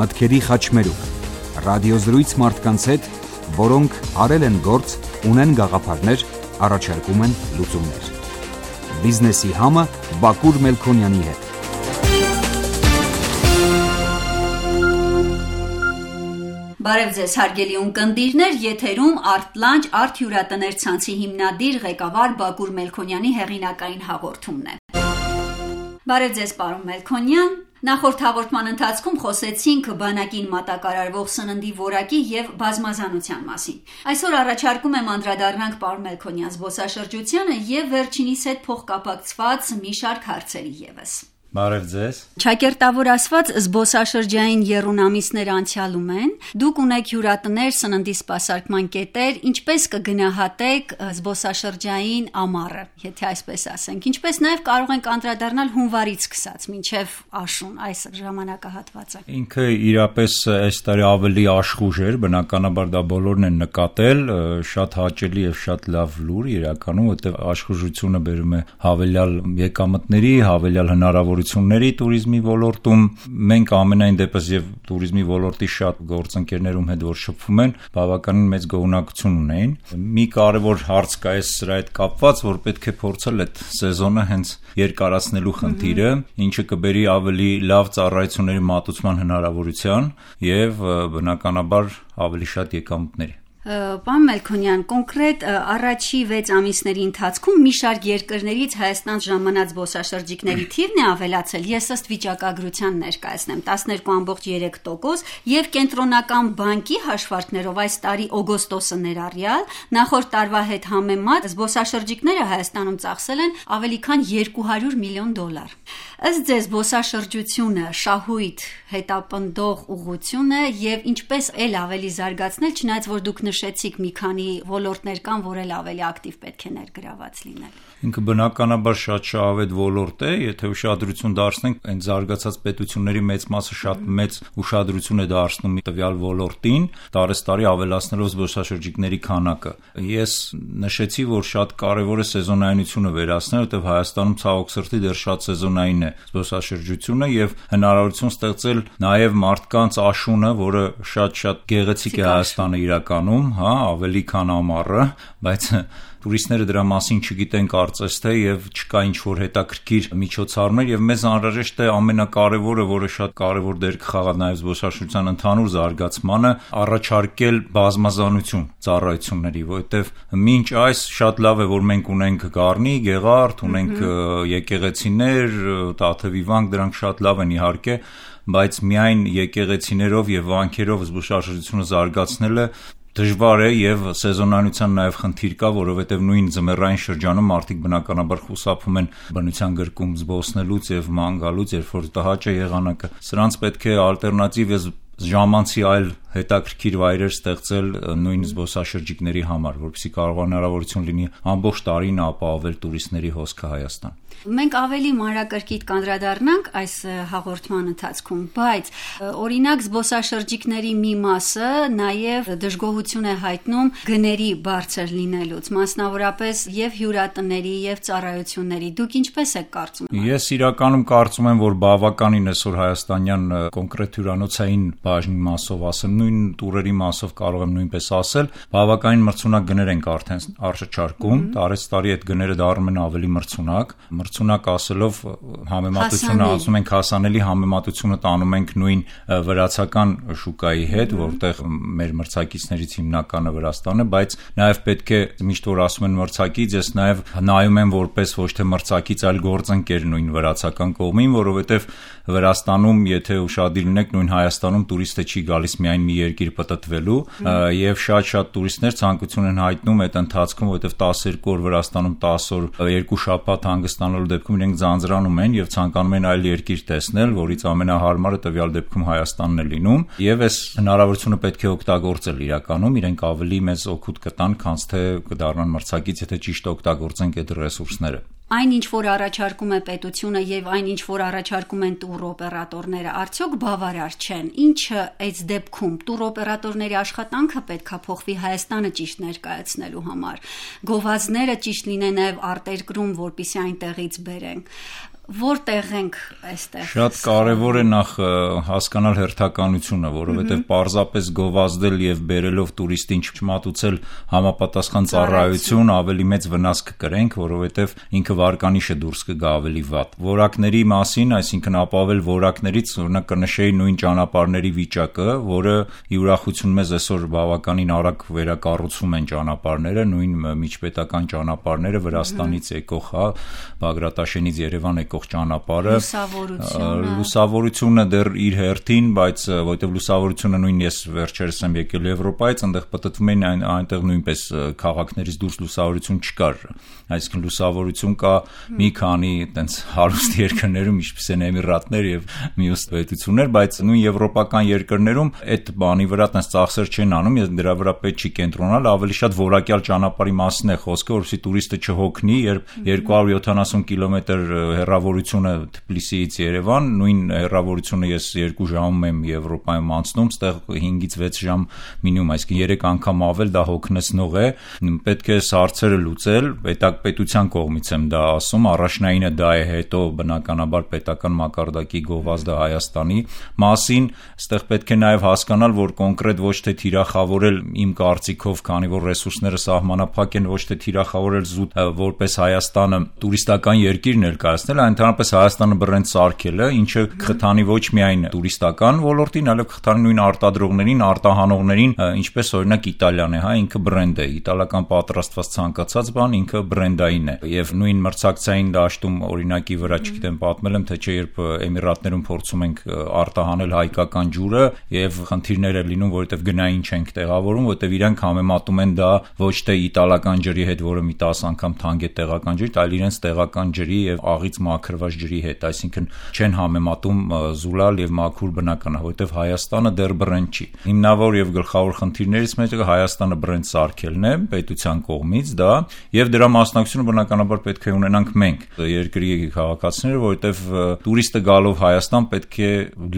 մտքերի խաչմերուկ, ռադիոզրույց մարդկանց հետ, որոնք արել են գործ, ունեն գաղափարներ, առաջարկում են լուծումներ։ Բիզնեսի համը Բակուր Մելքոնյանի հետ։ Բարև ձեզ հարգելի ունկնդիրներ, եթերում Արտլանջ արտ-հյուրատներ ցանցի հիմնադիր ղեկավար Բակուր Մելքոնյանի հեղինակային հաղորդումն է։ Բարև ձեզ պարոն Մելքոնյան, նախորդ հաղորդման ընթացքում խոսեցինք բանակին մատակարարվող սննդի որակի եւ բազմազանության մասին։ Այսօր առաջարկում եմ անդրադառնանք պարոն Մելքոնյան զբոսաշրջությանը եւ վերջինիս հետ փոխկապակցված մի շարք հարցերի եւս։ Բարև ձեզ։ Ճակերտավոր ասված զբոսաշրջային եռունամիսներ անցյալում են։ Դուք ունեք հյուրատներ, սննդի սպասարկման կետեր, ինչպես կգնահատեք զբոսաշրջային ամառը, եթե այսպես ասենք, ինչպես նաև կարող ենք անդրադառնալ հունվարից սկսած մինչև աշուն այս ժամանակահատվածը։ Ինքը իրապես այս տարի ավելի աշխուժ էր, բնականաբար դա բոլորն են նկատել, շատ հաճելի եւ շատ լավ լուր իրականում, որտեղ աշխուժությունը բերում է հավելյալ եկամտների, հավելյալ հնարավորությունների туриզմի ոլորտում։ Մենք ամենայն դեպս եւ туриզմի ոլորտի շատ գործընկերներում հետ որ շփվում են, բավականին մեծ գոհունակություն ունեին։ Մի կարևոր հարց կա այս սրա հետ կապված, որ պետք է փորձել այդ սեզոնը հենց երկարացնելու խնդիրը, ինչը կբերի ավելի լավ ծառայությունների մատուցման հնարավորության եւ բնականաբար ավելի շատ եկամուտների։ Պարոն Մելքոնյան, կոնկրետ առաջի 6 ամիսների ընթացքում մի շարք երկրներից Հայաստան ժամանած զբոսաշրջիկների թիվն է ավելացել, ես ըստ վիճակագրության ներկայացնեմ 12.3% եւ կենտրոնական բանկի հաշվարկներով այս տարի օգոստոսը ներառյալ նախորդ տարվա հետ համեմատ զբոսաշրջիկները Հայաստանում ծախսել են ավելի քան $200 միլիոն։ Ըստ ձեզ զբոսաշրջությունը շահույթ հետապնդող ուղղություն է եւ ինչպես էլ ավելի զարգացնել, չնայած որ դուք նշեցիք մի քանի ոլորտներ կան, որ էլ ավելի ակտիվ պետք է ներգրաված լինել։ Ինքը բնականաբար շատ շահավետ ոլորտ է, եթե ուշադրություն դարձնենք, այն զարգացած պետությունների մեծ մասը շատ մեծ ուշադրություն է դարձնում տվյալ ոլորտին, տարեստարի ավելացնելով զբոսաշրջիկների քանակը։ Ես նշեցի, որ շատ կարևոր է սեզոնայնությունը վերացնել, որտեղ Հայաստանում ցավոք սրտի դեռ շատ սեզոնային է զբոսաշրջությունը եւ հնարավորություն ստեղծել նաեւ մարդկանց աշունը, որը շատ գեղեցիկ է Հայաստանը իրականում, ավելի քան ամառը, բայց տուրիստները դրա մասին չգիտեն կարծես թե եւ չկա ինչ-որ հետաքրքիր միջոցառումներ եւ մեզ անհրաժեշտ է ամենակարևորը, որը շատ կարևոր դեր կխաղա նաեւ զբոսաշրջության ընդհանուր զարգացմանը, առաջարկել բազմազանություն ծառայությունների, որովհետեւ մինչ այս շատ լավ է, որ մենք ունենք Գառնի, Գեղարդ, ունենք եկեղեցիներ, Տաթևի վանք, դրանք շատ լավ են իհարկե, բայց միայն եկեղեցիներով եւ վանքերով զբոսաշրջությունը զարգացնելը դժվար է եւ սեզոնայնության նաեւ խնդիր կա, որովհետեւ նույն ձմեռային շրջանում մարդիկ բնականաբար խուսափում են բնության գրկում զբոսնելուց եւ ման գալուց, երբ որ տհաճ է եղանակը։ Սրանց պետք է ալտերնատիվ եւ ժամանցի այլ հետաքրքիր վայրեր ստեղծել նույն զբոսաշրջիկների համար, որպեսզի կարող հնարավորություն լինի ամբողջ տարին ապահովել տուրիստների հոսքը Հայաստան։ Մենք ավելի մանրակրկիտ կանդրադառնանք այս հաղորդման ընթացքում, բայց օրինակ զբոսաշրջիկների մի մասը նաև դժգոհություն է հայտնում գների բարձր լինելուց, մասնավորապես եւ հյուրատների եւ ծառայությունների։ Դուք ինչպես եք կարծում։ Ես իրականում կարծում եմ, որ բավականին այսօր հայաստանյան կոնկրետ հյուրանոցային բաժնի մասով ասեմ, նույն տուրերի մասով կարող եմ նույնպես ասել, բավականին մրցունակ գներ ենք արդեն առաջարկում, տարեստարի այդ գները դառնում են ավելի մրցունակ ասելով համեմատությունը ասում ենք հասանելի համեմատությունը տանում ենք նույն վրացական շուկայի հետ, որտեղ մեր մրցակիցներից հիմնականը Վրաստանն է, բայց նաև պետք է միշտ որ ասում են մրցակից, ես նաև նայում եմ որպես ոչ թե մրցակից, այլ գործընկեր նույն վրացական կողմին, որովհետև Վրաստանում, եթե ուշադիր լինեք, նույն Հայաստանում տուրիստը չի գալիս միայն մի երկիր պտտվելու, եւ շատ տուրիստներ ցանկություն են հայտնում այդ ընթացքում, որովհետև 12 օր Վրաստանում 10 օր 2 շաբաթ հանգստանալու դեպքում իրենք ձանձրանում են եւ ցանկանում են այլ երկիր տեսնել, որից ամենահարմարը տվյալ դեպքում Հայաստանն է լինում, եւ այս հնարավորությունը պետք է օգտագործել իրականում, իրենք ավելի մեծ օգուտ կտան, քան թե կդառնան մրցակից, եթե ճիշտ օգտագործենք այդ ռեսուրսները։ Այն ինչ որ առաջարկում է պետությունը եւ այն ինչ որ առաջարկում են տուր օպերատորները, արդյոք բավարար չեն։ Ինչը այս դեպքում տուր օպերատորների աշխատանքը պետքա փոխվի Հայաստանը ճիշտ ներկայացնելու համար։ Գովազդները ճիշտ լինեն նաեւ արտերկրում, որպեսզի այնտեղից բերեն։ որտեղ ենք այստեղ։ Շատ կարևոր է նախ հասկանալ հերթականությունը, որովհետև պարզապես գովազդել եւ բերելով տուրիստին չմատուցել համապատասխան ծառայություն ավելի մեծ վնաս կկրենք, որովհետև ինքը վարկանիշը դուրս կգա ավելի վատ։ Որակների մասին, այսինքն ապավել որակներից օրինակ կնշեի նույն ճանապարհների վիճակը, որը ի ուրախություն մեզ այսօր բավականին արագ վերակառուցում են ճանապարհները, նույն միջպետական ճանապարհները Վրաստանից եկող, Բագրատաշենից Երևան եկող ճանապարհը, լուսավորությունը դեռ իր հերթին, բայց որտեվ լուսավորությունը նույն ես վերջերս եմ եկել Եվրոպայից, այնտեղ պատտվում են այնտեղ նույնպես քաղաքներից դուրս լուսավորություն չկար, այսինքն լուսավորություն կա մի քանի այտենց հարուստ երկրներում, ինչպես են Էմիրատներ եւ մյուս պետություններ, բայց նույն եվրոպական երկրներում այդ բանի վրա այտենց ծախսեր չեն անում, եւ դրա վրա պետք չի կենտրոնալ, ավելի շատ որակյալ ճանապարհի մասին է խոսքը, որովհետեւ տուրիստը չհոգնի, երբ 270 կիլոմետր հեռավորությունը Թբիլիսիից Երևան, նույն հեռավորությունը ես 2 ժամում եմ Եվրոպայում անցնում, ստեղ 5-ից 6 ժամ մինիմում, այսինքն 3 անգամ ավել դա հոգնեցնող է, պետք է հարցերը լուծել, պետության կողմից եմ դա ասում, առաջնայինը դա է, հետո բնականաբար պետական մակարդակի գովազդը Հայաստանի մասին, այստեղ պետք է նաև հասկանալ, որ կոնկրետ ոչ թե թիրախավորել իմ կարծիքով, քանի որ ռեսուրսները սահմանափակ են, ոչ թե թիրախավորել զուտ որպես Հայաստանը տուրիստական երկիր ներկայացնել, այլ ընդհանրապես Հայաստանը բրենդ սարքելը, ինչը կխթանի ոչ միայն տուրիստական ոլորտին, այլև կխթանի նույն արտադրողներին, արտահանողներին, ինչպես օրինակ Իտալիան է, հա, ինքը բրենդ է, իտալական պատրաստված ցանկացած բան ինքը բրենդային է, եւ նույն մրցակցային դաշտում օրինակի վրա չգիտեմ պատմել եմ, թե չէ երբ Էմիրատներում փորձում ենք արտահանել հայկական ջուրը եւ խնդիրներ է լինում, որովհետեւ գնային չենք տեղավորում, որովհետեւ իրանք համեմատում են դա ոչ թե իտալական ջրի հետ, որը մի 10 անգամ թանկ է տեղական ջրից, այլ իրենց տեղական ջրի եւ աղից մաքրված ջրի հետ, այսինքն չեն համեմատում զուլալ եւ մաքուր բնական, որովհետեւ Հայաստանը դեռ բրենդ չի։ Հիմնավոր եւ գլխավոր խնդիրներից մեկը Հայաստանը բրենդ սարքելն է պետության կողմից դա եւ դրա մասնակցությունը բնականաբար պետք է ունենանք մենք երկրի քաղաքացիները, որովհետեւ տուրիստը գալով Հայաստան պետք է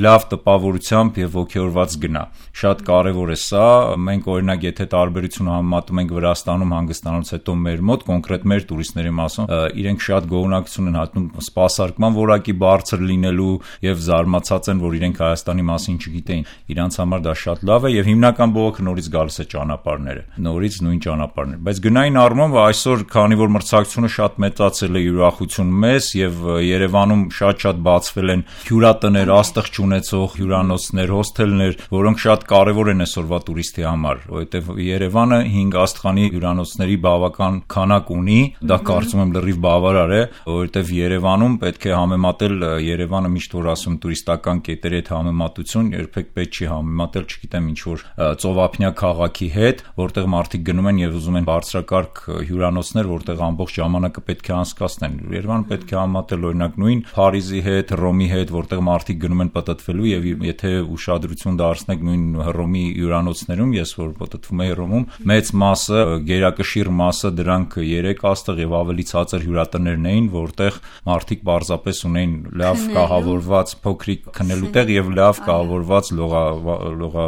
լավ տպավորությամբ եւ ոգեորված գնա։ Շատ կարեւոր է սա, մենք օրինակ եթե տարբերությունը համեմատում ենք Վրաստանում հանգստանալուց հետո մեր մոտ կոնկրետ մեր տուրիստների մասում իրենք շատ գոհունակություն են հատնում սպասարկման որակի բարձր լինելու եւ զարմացած են, որ իրենք Հայաստանի մասին չգիտեին։ Իրանց համար դա շատ լավ է եւ հիմնական բողոքը նորից գալիս է ճանապարհները, նորից նույն ճանապարհներ, բայց գնային առումով այսօր քանի որ մրցակցությունը շատ մեծացել է ուրախություն մեզ եւ Երևանում շատ բացվել են հյուրատներ, աստղ չունեցող հյուրանոցներ, հոսթելներ, որոնք շատ կարեւոր են այսօրվա տուրիստի համար, որովհետեւ Երևանը 5 աստղանի հյուրանոցների բավական քանակ ունի, դա կարծում եմ լրիվ բավարար է, որովհետեւ Երևանում պետք է համեմատել Երևանը միշտ որ ասում տուրիստական կետերի հետ համեմատություն, երբեք պետք չի համեմատել, չգիտեմ ինչ որ ծովափնյա քաղաքի հետ, որտեղ մարդիկ գնում են եւ ուզում են բարձրակարգ հյուրանոցներ, որտեղ ամբողջ ժամանակը պետք է անցկացնեն։ Երևանը պետք է համատել օրինակ նույն Փարիզի հետ, Հռոմի հետ, որտեղ մարդիկ գնում են պտտվելու եւ եթե ուշադրություն դարձնեք նույն Հռոմի հյուրանոցներում, ես որ պտտվում եմ Հռոմում, մեծ մասը, գերակշիռ մասը դրանք 3 աստղ եւ ավելի ցածր հյուրատներն էին, որտեղ մարդիկ պարզապես ունեին լավ կահավորված փոքրիկ քնելու տեղ եւ լավ կահավորված լողա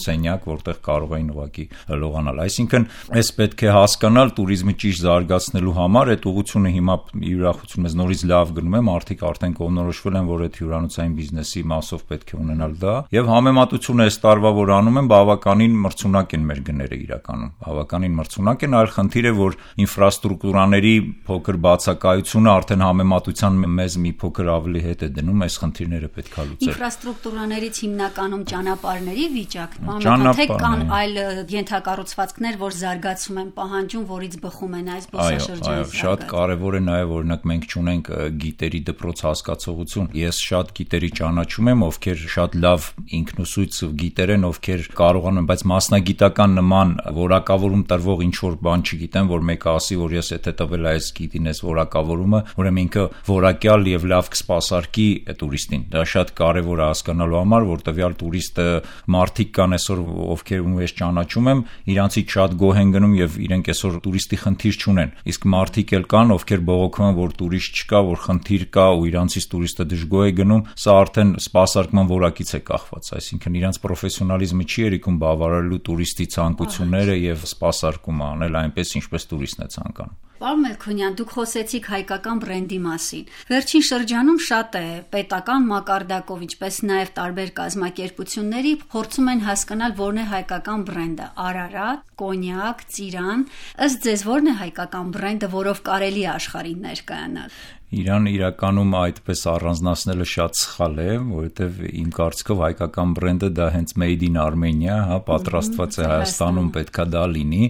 սենյակ, որտեղ կարող էին ուղակի լողանալ։ Այսինքն, այս պետք է հասկանալ տուրիզմի ճիշտ զարգացնելու համար, այդ ուղղությունը հիմա ուրախություն մեզ նորից լավ գնում է, մարդիկ արդեն կողմնորոշվել են, որ այդ հյուրանոցային բիզնեսի մասով պետք է ունենալ դա, եւ համեմատությունը այս տարվա որ անում են, բավականին մրցունակ են մեր գները իրականում, բավականին մրցունակ են, այլ խնդիր է, որ ինֆրաստրուկտուրաների փոքր բացակայությունը արդեն համեմատության մեզ մի փոքր ավելի հետ է դնում, այս խնդիրները պետք է լուծել։ Ինֆրաստրուկտուրաներից հիմնականում ճանապարհների վիճակն, թե կան այլ ենթակառուցվածքներ, որ զարգացում են պահանջում, որից բխում են այս զբոսաշրջանի զարգացումը։ Շատ կարևոր է նաև օրինակ մենք չունենք գիտերի դպրոց հասկացողություն։ Ես շատ գիտերի ճանաչում եմ, ովքեր շատ լավ ինքնուսույց գիտեր են, ովքեր կարողանում են, բայց մասնագիտական նման որակավորում տրվող ինչ որ բան չգիտեմ, որ մեկը ասի, որ ես եթե տվել այս գիտին այս որակավորումը, ուրեմն ինքը որակյալ եւ լավ կսպասարկի տուրիստին։ Դա շատ կարևոր է հասկանալու համար, որ տվյալ տուրիստը մարդիկ կան այսօր, ովքեր ու ես ճանաչում եմ, իրանցից շատ գոհ են գնում եւ իրենք այսօր տուրիստի խնդիր չունեն։ Իսկ մարդիկ էլ կան, ովքեր բողոքում են, որ տուրիստ չկա, որ խնդիր կա ու իրանցից տուրիստը դժգոհ է գնում, սա արդեն սպասարկման որակից է կախված, այսինքն իրանց պրոֆեսիոնալիզմը չի երիկում բավարարելու տուրիստի ցանկությունները եւ սպասարկումը անել այնպես, ինչպես տուրիստն է ցանկանում։ Պարոն Մելքոնյան, դուք խոսեցիք հայկական բրենդի մասին։ Վերջին շրջանում շատ է պետական մակարդակով, ինչպես նաև տարբեր կազմակերպությունների փորձում են հասկանալ որն է հայկական բրենդը՝ Արարատ, կոնյակ, ծիրան։ Ըստ ձեզ որն է հայկական բրենդը, որով կարելի է աշխարհին ներկայանալ։ Իրան իրականում այդպես առանձնացնելը շատ սխալ է, որովհետև իմ կարծիքով հայկական բրենդը դա հենց made in Armenia, պատրաստված է Հայաստանում, պետքա դա լինի,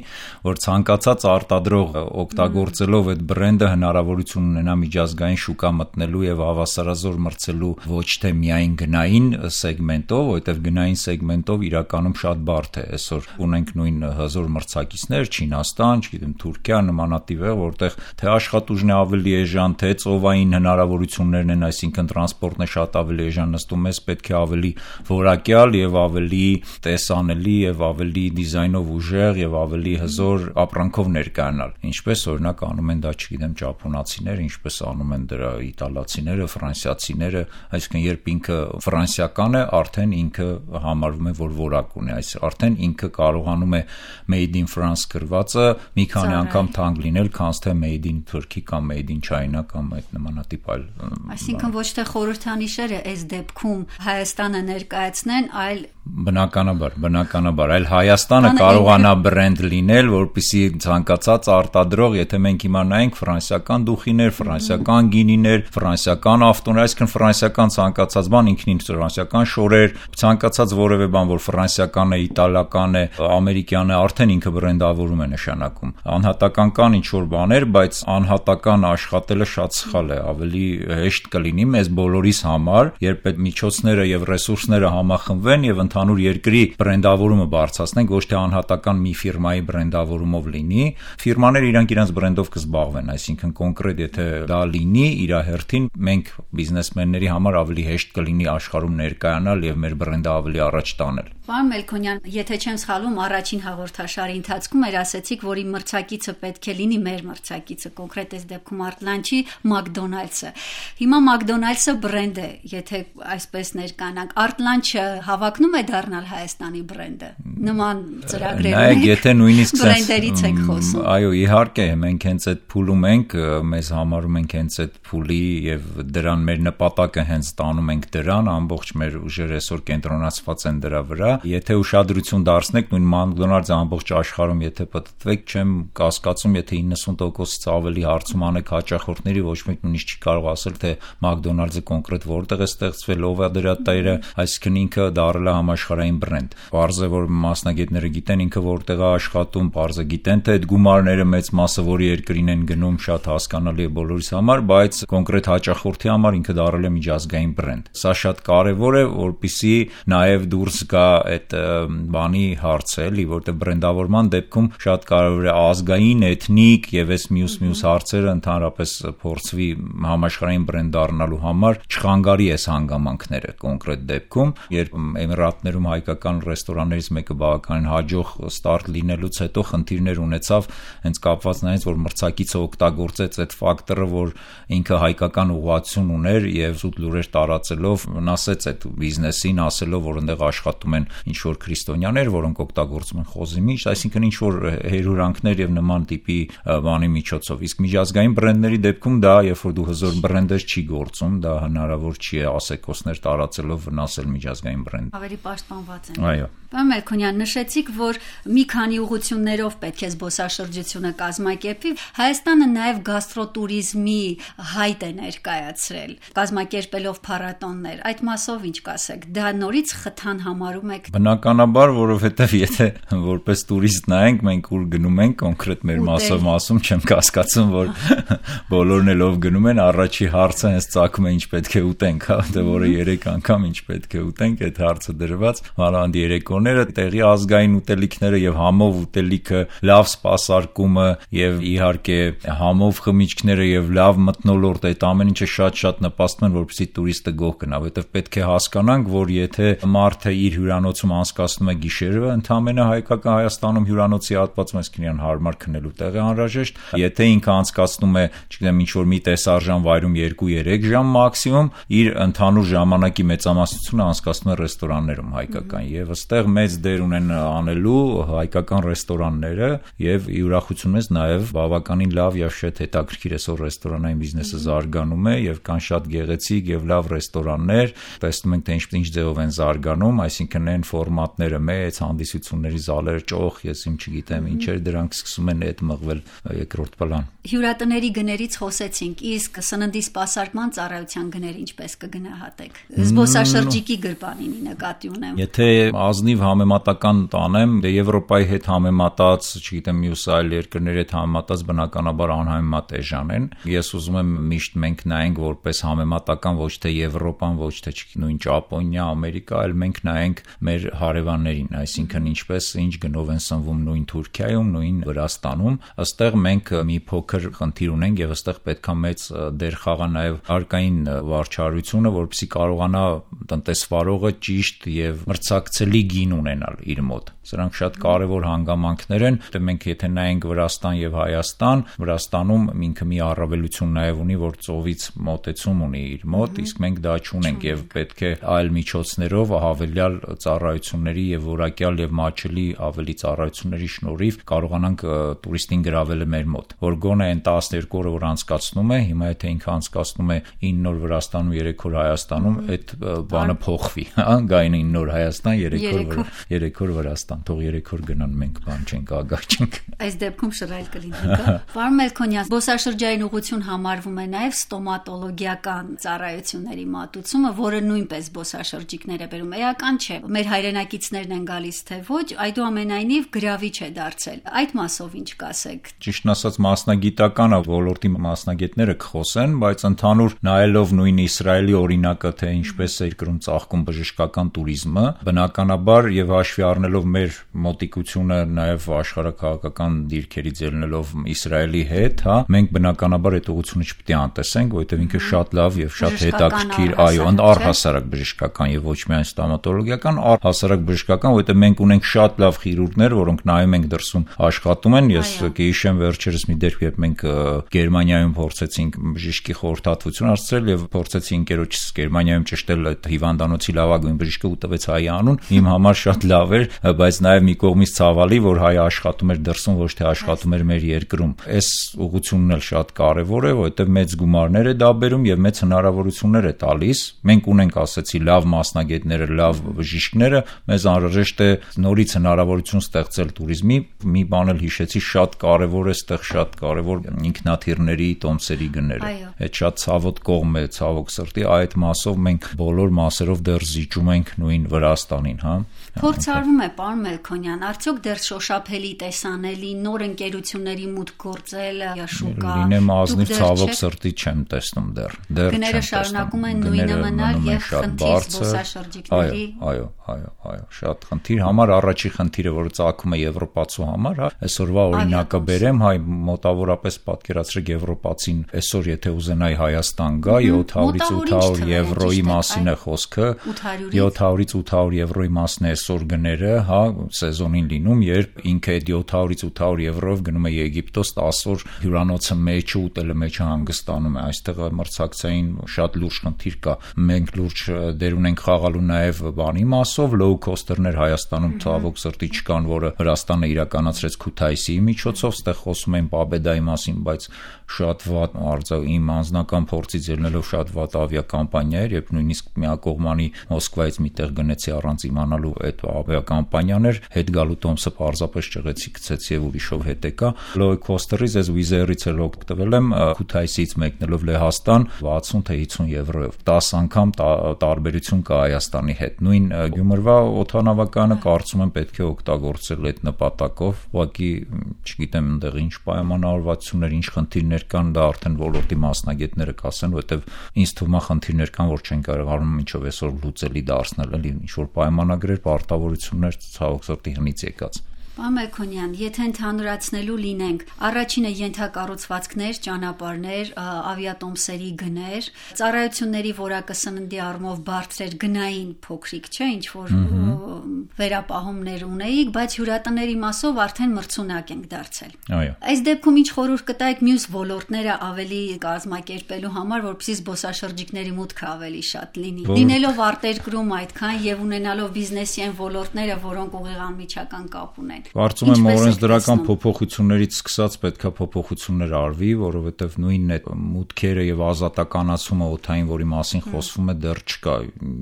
որ ցանկացած արտադրող օգտագործելով այդ բրենդը հնարավորություն ունենա միջազգային շուկա մտնելու եւ հավասարազոր մրցելու ոչ թե միայն գնային սեգմենտով, որովհետև գնային սեգմենտով իրականում շատ բարդ է։ Այսօր ունենք նույն հզոր մրցակիցներ, Չինաստան, չգիտեմ, Թուրքիա, նմանատիպ է, որտեղ թե աշխատուժն է ավելի էժան, թե ծովային հնարավորություններն են, այսինքն տրանսպորտն է շատ ավելի էժան, նստում ես պետք է ավելի որակյալ եւ ավելի տեսանելի եւ ավելի դիզայնով ուժեղ եւ ավելի հզոր ապրանքով ներկայանալ։ Ինչպես օրինակ անում են դա, չգիտեմ, ճապոնացիները, ինչպես անում են դրա իտալացիները, ֆրանսիացիները, այսինքն երբ ինքը ֆրանսիական է, արդեն ինքը համարվում է, որ որակ ունի, արդեն ինքը կարողանում է made in France գրվածը մի քանի անգամ թանկ լինել, քան թե made in Turkey կամ made in China կամ այդ նմանատիպ այլ։ Այսինքն ոչ թե խորհրդանիշերը այս դեպքում Հայաստանը ներկայացնեն, այլ բնականաբար, այլ Հայաստանը կարողանա բրենդ լինել, որպեսզի ցանկացած արտադրող, եթե մենք իմանայինք ֆրանսիական դուխիներ, ֆրանսիական գինիներ, ֆրանսիական ավտոներ, այսինքն ֆրանսիական ցանկացած բան, ինքնին ֆրանսիական շորեր, ցանկացած որևէ բան, որ ֆրանսիական է, իտալական է, ամերիկյան է, արդեն ինքը բրենդավորում է նշանակում։ Անհատական կան ինչ որ բաներ, բայց անհատական աշխատելը շատ սխալ է, ավելի հեշտ կլինի մեզ բոլորիս համար, երբ այդ միջոցները եւ ռեսուրսները համախմբվեն եւ ընդհանուր երկրի բրենդավորումը բարձրացնենք, ոչ թե անհատական մի ֆիրմայի բրենդավորումով լինի։ Ֆիրմաները իրենց բրենդով կզբաղվեն, այսինքն կոնկրետ եթե դա լինի իր հերթին, մենք բիզնեսմենների համար ավելի հեշտ կլինի աշխարհում ներկայանալ եւ մեր բրենդը ավելի առաջ տանել։ Պարոն Մելքոնյան, եթե չեմ սխալվում, առաջին հաղորդաշարի ընթացքում ասացիք, որ իմ մրցակիցը պետք է լինի մեր մրցակիցը, կոնկրետ այս դեպքում Artlanchi McDonald's-ը։ Հիմա McDonald's-ը բրենդ է, եթե այսպես ներկանանք, Artlanchi-ը հավակնում է դառնալ Հայաստանի բրենդը։ Նման ծրագրերում եթե նույնիսկ բրենդերից եք խոսում։ Այո, իհարկե, մենք հենց այդ փուլում ենք, մեզ համարում ենք հենց այդ փուլի եւ դրան մեր նպատակը հենց տանում ենք դրան, ամբողջ մեր ուժերը այսօր կենտրոնացված են դրա վրա։ Եթե ուշադրություն դարձնեք նույն McDonald's-ը ամբողջ աշխարհում եթե պատտվեք, չեմ կասկածում, եթե 90%-ից ավելի հարցում անեք հաճախորդների, ոչ մեկ նույնիսկ չի կարող ասել, թե McDonald's-ը կոնկրետ որտեղ է ստեղծվել, ով է դրա տերը, այսինքն ինքը դառել է համաշխարհային բրենդ։ Պարզ է, որ մասնագետները գիտեն ինքը որտեղ է աշխատում, պարզ է գիտեն, թե այդ գումարները մեծ մասը որի երկրին են գնում, շատ հասկանալի է բոլորիս համար, բայց կոնկրետ հաճախորդի համար ինքը դառել է միջազգային բրենդ։ Սա շատ կարևոր է, որպեսզի նաև դուրս գա այդ բանի հարցը, էլի, որտեղ բրենդավորման դեպքում շատ կարևոր է ազգային, էթնիկ եւ այս մյուս հարցերը ընդհանրապես փորձվի համաշխարհային բրենդ դառնալու համար չխանգարի այս հանգամանքները կոնկրետ դեպքում, երբ Էմիրատներում հայկական ռեստորաններից մեկը բավականին հաջող ստարտ լինելուց հետո խնդիրներ ունեցավ հենց կապված նրանից, որ մրցակիցը օգտագործեց այդ ֆակտորը, որ ինքը հայկական ուղղություն ուներ եւ զուտ լուրեր տարածելով վնասեց այդ բիզնեսին, ասելով, որ այնտեղ աշխատում են ինչ որ քրիստոնյաներ, որոնք օգտագործում են խոզի միշտ, այսինքն ինչ որ հերյուրանքներ եւ նման տիպի բանի միջոցով։ Իսկ միջազգային բրենդների դեպքում դա, երբ որ դու հզոր բրենդեր չի գործում, դա հնարավոր չի է ասեկոսներ տարածելով վնասել միջազգային բրենդ։ Ավելի պաշտպանված են։ Այո։ Պարոն Մելքոնյան, նշեցիք, որ մի քանի ուղղություններով պետք է զբոսաշրջությունը կազմակերպվի։ Հայաստանը նաև գաստրոտուրիզմի հայտ է ներկայացրել, կազմակերպելով փառատոններ։ Այդ մասով ինչ կասեք։ Դա նորից խթան համարում եք։ Բնականաբար, որովհետև եթե որպես տուրիստ նայենք, մենք ուր գնում ենք, կոնկրետ մեր մասում չեմ կասկածում, որ բոլորն էլ ով գնում են, առաջի հարցը հենց ծագում է ինչ պետք է ուտենք, հա, դե որը 3 անգամ ինչ պետք է ուտենք, այդ հարցը դրված, մանավանդ երեկոները, տեղի ազգային ուտելիքները եւ համով ուտելիքը, լավ սպասարկումը եւ իհարկե համով խմիչքները եւ լավ մթնոլորտ, այդ ամեն ինչը շատ նպաստում են, որպեսզի տուրիստը գոհ գնա, որովհետեւ պետք է հասկանանք, որ եթե մարդը իր հյուրանոցում անցկացնում է գիշերը, ընդամենը հայկական Հայաստանում հյուրանոցի հատվածում այսքան հարմար քնելու տեղ է անհրաժեշտ, եթե ինքը անցկացնում է, չգիտեմ, ինչ որ մի տեսարժան վայրում 2-3 ժամ մաքսիմում, իր ընդհանուր ժամանակի մեծամասնությունը անցկացնում է ռեստորաններում հայկական, եւ ըստեղ մեծ դեր ունեն անելու հայկական ռեստորանները, եւ ուրախություն մեզ նաեւ բավականին լավ եւ շատ հետաքրքիր այսօր ռեստորանային բիզնեսը զարգանում է եւ կան շատ գեղեցիկ եւ լավ ռեստորաններ, տեսնում ենք թե ինչ ձևով են զարգանում, այսինքն այն ֆորմատները մեծ հանդիսությունների զալեր, ճոխ, ես չգիտեմ ինչեր, դրանք սկսում են այդ մղվել երկրորդ պլան։ Հյուրատների գներից խոսեցինք, իսկ սննդի սպասարկման ծառայության գները ինչպես կգնահատեք։ Զբոսաշրջիկի գրպանինի նկատի ունեմ։ Եթե ազնիվ համեմատական տանեմ, Եվրոպայի հետ համեմատած, չգիտեմ, մյուս այլ երկրների հետ համեմատած բնականաբար անհամեմատ էժան են։ Ես ուզում եմ միշտ մենք նայենք որպես համեմատական ոչ թե Եվրոպան, ոչ թե նույն Ճապոնիա, Ամերիկա, այլ մենք նայենք մեր հարևաններին, այսինքն ինչպես ինչ գնով են սնվում նույն Թուրքիայում, նույն Վրաստանում, ըստեղ մենք մի փոքր խնդիր ունենք եւ ըստեղ պետքա մեծ դեր խաղա նաեւ հարկային վարչարությունը, որպեսզի կարողանա տնտեսվարողը ճիշտ եւ մրցակցելի գին ունենալ իր մոտ։ Սրանք շատ կարևոր հանգամանքներ են, դե մենք եթե նայենք Վրաստան եւ Հայաստան, Վրաստանում ինքը մի առավելություն նաեւ ունի, որ ծովից մոտեցում ունի իր մոտ, իսկ մենք դա չունենք եւ պետք է այլ միջոցներով հավելյալ ծառայությունների եւ որակյալ եւ մատչելի ավելի ծառայությունների շնորհիվ կարողանանք տուրիստին գրավել մեր մոտ, որ գոնե այն 12 օրը որ անցկացնում է, հիմա եթե ինքը անցկացնում է 9 օր Վրաստանում, 3 օր Հայաստանում, այդ բանը փոխվի, հա, գային 9 օր Հայաստան, 3 օր Վրաստան, թող 3 օր գնան, մենք բան չենք, ագահ չենք։ Այս դեպքում շռայլ կլինի։ Պարոն Մելքոնյան, զբոսաշրջային ուղղություն համարվում է նաև ստոմատոլոգիական ծառայությունների մատուցումը, որը նույնպես զբոսաշրջիկներ է բերում։ Էական չէ, մեր հայրենակիցներն են գալիս թե ոչ, այդուամենայնիվ գրավիչ է դարձել։ Այդ մասով ինչ կասեք։ Ճիշտն ասած, մասնագիտական ոլորտի մասնագետները կխոսեն, բայց ընդհանուր նայելով նույն Իսրայելի օրինակը, թե ինչպես է երկրում ծաղկում բժշկական туриզմը, բնականաբար եւ հաշվի առնելով մեր մոտիկությունը նաեւ աշխարհակաղակական դիրքերից ելնելով Իսրայելի հետ, հա, մենք բնականաբար այդ ուղղությունը չպետք է անտեսենք, որովհետեւ ինքը շատ լավ եւ շատ հետաքրքիր, այո, առհասարակ բժշկական եւ ոչ միայն ստոմատոլոգիական, առհասարակ բժշկական, որովհետեւ մենք ունենք շատ լավ քիրուրգներ, որոնք նայում ենք դրսում աշխատում են։ Ես կհիշեմ վերջերս մի դեպք, երբ մենք Գերմանիայում փորձեցինք բժշկի խորհրդատվություն հասցրել եւ փորձեցի ընկերոջս Գերմանիայում ճշտել այդ հիվանդանոցի լավագույն բժիշկը ու տվեց հայ անուն, իմ համար շատ լավ էր, բայց նաեւ մի կողմից ցավալի, որ հայը աշխատում էր դրսում, ոչ թե աշխատում էր մեր երկրում։ Այս ուղղությունն էլ շատ կարեւոր է, որովհետեւ մեծ գումարներ է դա բերում եւ մեծ հնարավորություններ է տալիս։ Մենք ունենք, ասեցի, լավ մասնագետները, լավ բժիշկները, մեզ անհրաժեշտ է նորից հնարավորություն ստեղծել туриզմի։ Մի բան էլ հիշեցի, շատ կարեւոր է այդտեղ, շատ կարեւոր ինքնաթիռների տոմսերի գները։ Այդ շատ ցավոտ կողմ է, ցավոք սրտի, այդ մասով մենք բոլոր մասերով դեռ զիջում ենք նույն Վրաստանին, հա։ Փորձարվում է, պարոն Մելքոնյան, արդյոք դեռ շոշափելի տեսանելի նոր ընկերությունների մուտք գործել շուկա։ Լինեմ ազնիվ, ցավոք սրտի չեմ տեսնում դեռ։ Գները շարունակում են նույնը մնալ եւ խնդիր զբոսաշրջիկների։ Այո, շատ խնդիր, համար առաջի խնդիրը, որը ծագում է եվրոպացու համար, հա, այսօրվա օրինակը բերեմ, հայ մոտավորապես պատկերացրեք եվրոպացին, այսօր եթե ուզենայի Հայաստան գա, 700-ից 800 եվրոյի մասին է խոսքը, 700-ից 800 եվրոյի մասն է այսօր գները, հա, սեզոնին լինում, երբ ինքը այդ 700-ից 800 եվրոյով գնում է Եգիպտոս 10 օր հյուրանոցը մեջը ուտելը մեջը հանգստանում է, այստեղ մրցակցային շատ լուրջ խնդիր կա, մենք լուրջ դեր ունենք խաղալու նաև բանի մասով, low cost-երներ Հայաստանում ցավոք սրտի չկան, որը Վրաստանը իրականացրեց Քութայիսի միջոցով, ստեղ խոսում են Պաբեդայի մասին, բայց շատ վատ իմ անձնական փորձից ելնելով շատ վատ ավիակամպանիա էր, երբ նույնիսկ միակողմանի Մոսկվայից միտեղ գնեցի առանց իմանալու այդ ավիակամպանիան էր, հետ գալու տոմսը պարզապես ճղեցի, գցեցի եւ ուրիշով հետ եկա։ Low cost-երից ես Wizz-Air-ից էլ օգտվել եմ, Քութայիսից մեկնելով Լեհաստան 60 թե 50 եվրոյով, 10 անգամ տարբերություն կա Հայաստանի հետ։ Նույն Գյումրվա օդանավականը կարծում եմ պետք է օգտագործել այդ նպատակով, ուղղակի չգիտեմ այնտեղ ինչ պայմանավորվածություններ, ինչ խնդիրներ կան, դա արդեն ոլորտի մասնագետները կասեն, որովհետև ինձ թվում է խնդիրներ կան, որ չեն կարողանում ինչով այսօր լուծելի դարձնել, էլի ինչ որ պայմանագրեր, պարտավորություններ ցավոք սրտի հնից եկած։ Պարոն Մելքոնյան, եթե ընդհանրացնելու լինենք, առաջինը ենթակառուցվածքներ, ճանապարհներ, ավիատոմսերի գներ, ծառայությունների որակը սննդի առումով բարձր էր, գնային փոքրիկ չէ, ինչ որ վերապահումներ ունեիք, բայց հյուրատների մասով արդեն մրցունակ ենք դարձել։ Այո։ Այս դեպքում ինչ խորհուրդ կտայիք մյուս ոլորտները ավելի կազմակերպելու համար, որպեսզի զբոսաշրջիկների մուտքը ավելի շատ լինի։ Լինելով արտերկրում այդքան եւ ունենալով բիզնեսի այն ոլորտները, որոնք ուղիղ անմիջական կապ ունեն։ Կարծում եմ օրենսդրական փոփոխություններից սկսած պետքա փոփոխություններ արվի, որովհետև նույնն է մուտքերը եւ ազատականացումը օդային, որի մասին խոսվում է, դեռ չկա։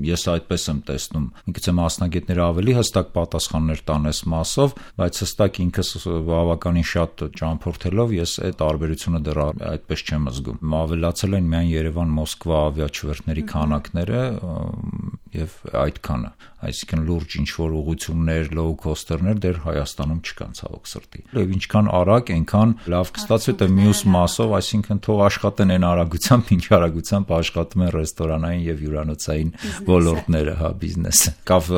Ես այդպես եմ տեսնում։ Միգուցե մասնագետները ավելի հստակ պատասխաններ տան այս մասով, բայց հստակ ինքս բավականին շատ ճամփորդելով ես այդ տարբերությունը դեռ այդպես չեմ զգում։ Ավելացել են միայն Երևան-Մոսկվա ավիաչվերթների քանակները եւ այդքանը, այսինքն լուրջ ինչ որ ուղղություններ, low coster-ներ դեռ Հայաստանում չկան ցավոք սրտի։ Եվ ինչքան արագ, այնքան լավ կստացվի թե մյուս մասով, այսինքն թող աշխատեն այն արագությամբ, ինչ արագությամբ աշխատում են ռեստորանային եւ հյուրանոցային ոլորտները, հա, բիզնեսը։ Կավ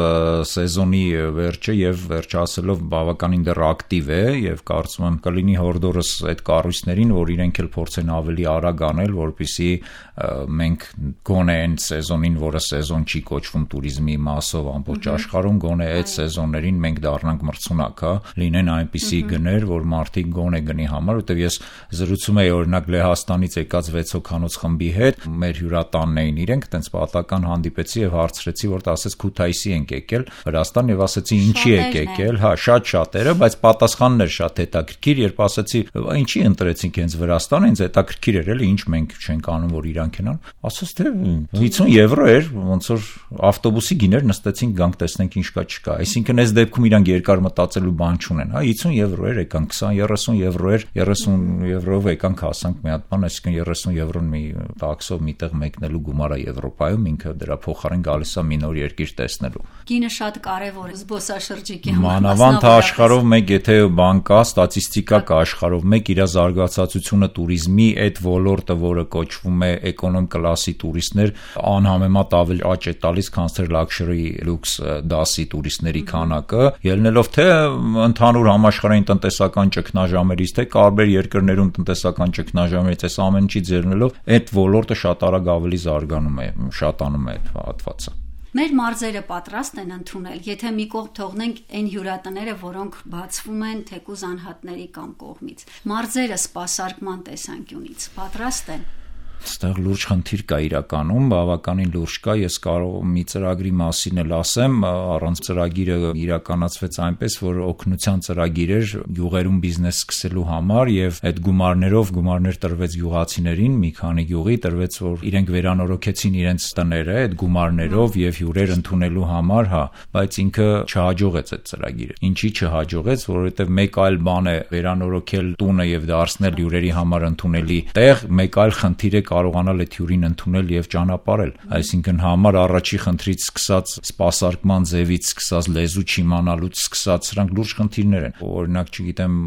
սեզոնի վերջը եւ վերջ ասելով բավականին դեռ ակտիվ է եւ կարծում եմ կլինի հորդորս այդ կառույցներին, որ իրենք էլ փորձեն ավելի արագ անել, որպեսզի մենք գոնե այն սեզոնին, որը սեզոն չի կոչվում туриզմի մասով ամբողջ աշխարհում, գոնե այդ սեզոններին մենք դառնանք մրցունակ, հա, լինեն այնպիսի գներ, որ մարդիկ գոնե գնի համար, որտեվ ես զրուցում եի օրինակ Լեհաստանից եկած 6 հոգանոց խմբի հետ, մեր հյուրատանն էին իրենք, տենց պատական հանդիպեցի եւ հարցրեցի, որ ասեց Քութայիսի ենք եկել Վրաստան եւ ասեցի ինչի եք եկել, հա, շատ շատերը, բայց պատասխանն էր շատ հետաքրքիր, երբ ասեցի ինչի ընտրեցինք հենց Վրաստանը, ինձ հետաքրքիր էր էլի, ինչ մենք չենք անում, որ իրանք են ան, ասաց թե 50 եվրո էր, ոնց որ ավտոբուսի գիներ նստեցինք գանք տեսնենք ինչ կա չկա, այսինքն այս դեպքում իրանք երկար մտածելու բան չունեն, հա, 50 եվրո էր եկան, 20-30 եվրո էր, 30 եվրով եկանք հասանք մի հատ բան, այսինքն 30 եվրոն մի տաքսով միտեղ մեկնելու գումար է Եվրոպայում, ինքը դրա փոխարեն գալիս է մի նոր երկիր տեսնելու։ Գինը շատ կարևոր է զբոսաշրջիկի համար։ Մանավանդ աշխարհով մեկ եթե բան կա, ստատիստիկա կա աշխարհով մեկ իր զարգացածությունը туриզմի այդ ոլորտը, որը կոչվում է էկոնոմ կլասի տուրիստներ, անհամեմատ ավելի աճ է տալիս, քան թե luxury lux դասի տուրիստների քանակը, ելնելով թե ընդհանուր համաշխարհային տնտեսական ճգնաժամերից, թե տարբեր երկրներում տնտեսական ճգնաժամերից, այս ամեն ինչից ելնելով այդ ոլորտը շատ արագ ավելի զարգանում է, շատանում է այդ հատվածը։ Մեր մարզերը պատրաստ են ընդունել, եթե մի կողմ թողնենք այն հյուրատները, որոնք բացվում են թեկուզ անհատների կամ կողմից։ Մարզերը սպասարկման տեսանկյունից պատրաստ են։ Այստեղ լուրջ խնդիր կա իրականում, բավականին լուրջ կա, ես կարող մի ծրագրի մասին էլ ասեմ, առանց ծրագիրը իրականացվեց այնպես, որ օգնության ծրագիր էր յուղերում բիզնես սկսելու համար եւ այդ գումարներ տրվեց յուղացիներին, մի քանի յուղի տրվեց, որ իրենք վերանորոգեցին իրենց տները այդ գումարներով եւ հյուրեր ընդունելու համար, հա, բայց ինքը չհաջողեց այդ ծրագիրը։ Ինչի չհաջողեց, որովհետեւ մեկ այլ բան է վերանորոգել տունը եւ դարձնել հյուրերի համար ընդունելի տեղ, մեկ այլ խնդիր է կարողանալ այդ հյուրին ընդունել եւ ճանապարհել, այսինքն համար առաջի խնդրից սկսած սպասարկման ձևից սկսած լեզու չիմանալուց սկսած սրանք լուրջ խնդիրներ են։ Օրինակ, չգիտեմ,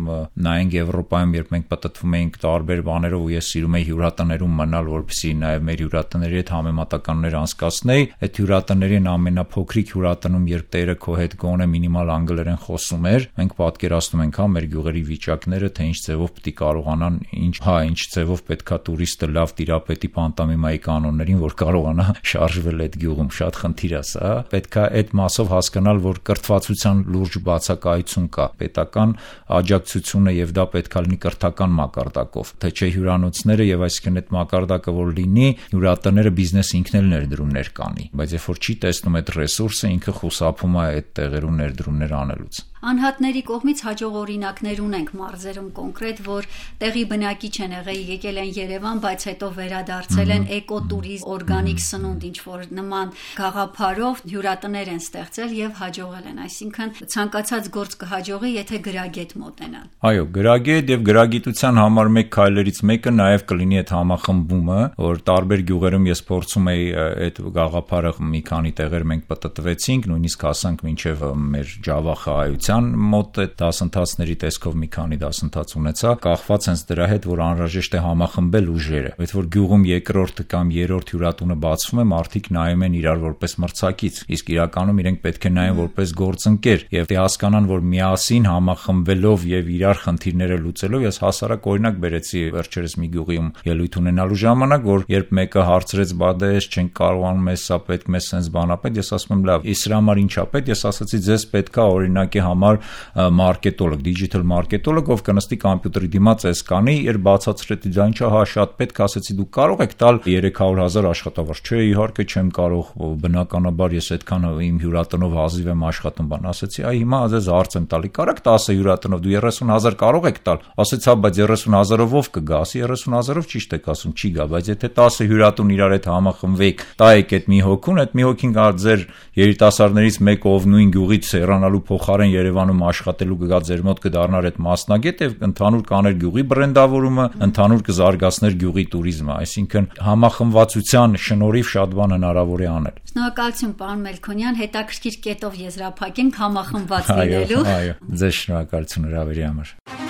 նայենք Եվրոպայում, երբ մենք պատտվում էինք տարբեր բաներով ու ես սիրում էի հյուրատներում մնալ, որպեսզի նաեւ մեր հյուրատների հետ համեմատականներ անցկացնեի, այդ հյուրատներին ամենափոքրիկ հյուրատնում, երբ տերը քո հետ գոնե մինիմալ անգլերեն խոսում էր, մենք պատկերացնում ենք, հա, մեր գյուղերի վիճակները, թե ինչ ձևով պետք է կարողանան, ինչ ձևով պետքա տուրիստը լավ տիրապետի պանտոմիմայի կանոններին, որ կարողանա շարժվել այդ գյուղում, շատ խնդիր է սա։ Պետք է այդ մասով հասկանալ, որ կրթվածության լուրջ բացակայություն կա, պետական աջակցությունը եւ դա պետք է լինի կրթական մակարդակով, թե չէ հյուրանոցները եւ այսինքն այդ մակարդակը որ լինի, հյուրատները բիզնես ինքն էլ ներդրումներ կանի, բայց երբ որ չի տեսնում այդ ռեսուրսը, ինքը խուսափում է այդ տեղերում ներդրումներ անելուց։ Անհատների կողմից հաջող օրինակներ ունենք մարզերում կոնկրետ, որ տեղի բնակիչ են եկել են Երևան, բայց հետո վերադարձել են էկոտուրիզմ, օրգանիկ սնունդ, ինչ որ նման գաղափարով հյուրատներ են ստեղծել եւ հաջողել են, այսինքն ցանկացած գործ կհաջողի, եթե գրագետ մոտենան։ Այո, գրագետ եւ գրագիտության համար մեկ քայլերից մեկը նաեւ կլինի այդ համախմբումը, որ տարբեր գյուղերում ես փորձում էի այդ գաղափարը մի քանի տեղեր մենք պատտվեցինք, նույնիսկ հասանք մինչեւ մեր Ջավախայից գիտության մոտ այդ դասընթացների տեսքով մի քանի դասընթաց ունեցա, կախված հենց դրա հետ, որ անհրաժեշտ է համախմբել ուժերը։ Այդ որ գյուղում երկրորդ կամ երրորդ հյուրատունը բացվում է, մարդիկ նայում են իրար որպես մրցակից, իսկ իրականում իրենք պետք է նայեն որպես գործընկեր եւ հասկանան, որ միասին համախմբվելով եւ իրար խնդիրները լուծելով, ես հասարակ օրինակ բերեցի վերջերս մի գյուղիում ելույթ ունենալու ժամանակ, որ երբ մեկը հարցրեց, բա դե ես չենք կարողանում, էս սա պետք, մեզ sense բանապետ, ես ասում եմ լավ, իսկ դրա համար ինչա պետք, ես ասացի ձեզ պետքա օրինակի համար մարքետոլոգ, դիջիտալ մարքետոլոգ, ով կնստի կոմպյուտերի դիմաց էս կանի, երբ բացացրեցի դա ինչա, հա շատ պետք, ասեցի դուք կարող եք տալ 300,000 աշխատավարձ, չէ, իհարկե չեմ կարող, բնականաբար ես այդքան իմ հյուրատնով հազիվ եմ աշխատում, բան ասեցի, այ հիմա ձեզ հարց եմ տալի, կարաք 10 հյուրատնով դու 30,000 կարող եք տալ, ասեցի, հա, բայց 30,000-ով ով կգա, ասի 30,000-ով ճիշտ եք ասում, չի գա, բայց եթե 10 հյուրատուն իրար հետ համախմբվեք, տայեք այդ մի հոգուն, այդ մի հոգին գա ձեր երիտասարդներից մեկը, ով նույն գյուղից հեռանալու փոխարեն Երևանում աշխատելու կգա ձեր մոտ կդառնար այդ մասնագետ եւ ընդհանուր կաներ գյուղի բրենդավորումը, ընդհանուր կզարգացներ գյուղի туриզմը, այսինքն համախմբվածության շնորհիվ շատ բան հնարավոր է անել։ Շնորհակալություն, պարոն Մելքոնյան, հետաքրքիր կետով եզրափակենք համախմբված լինելու։ Այո, ձեզ շնորհակալություն հրավերի համար։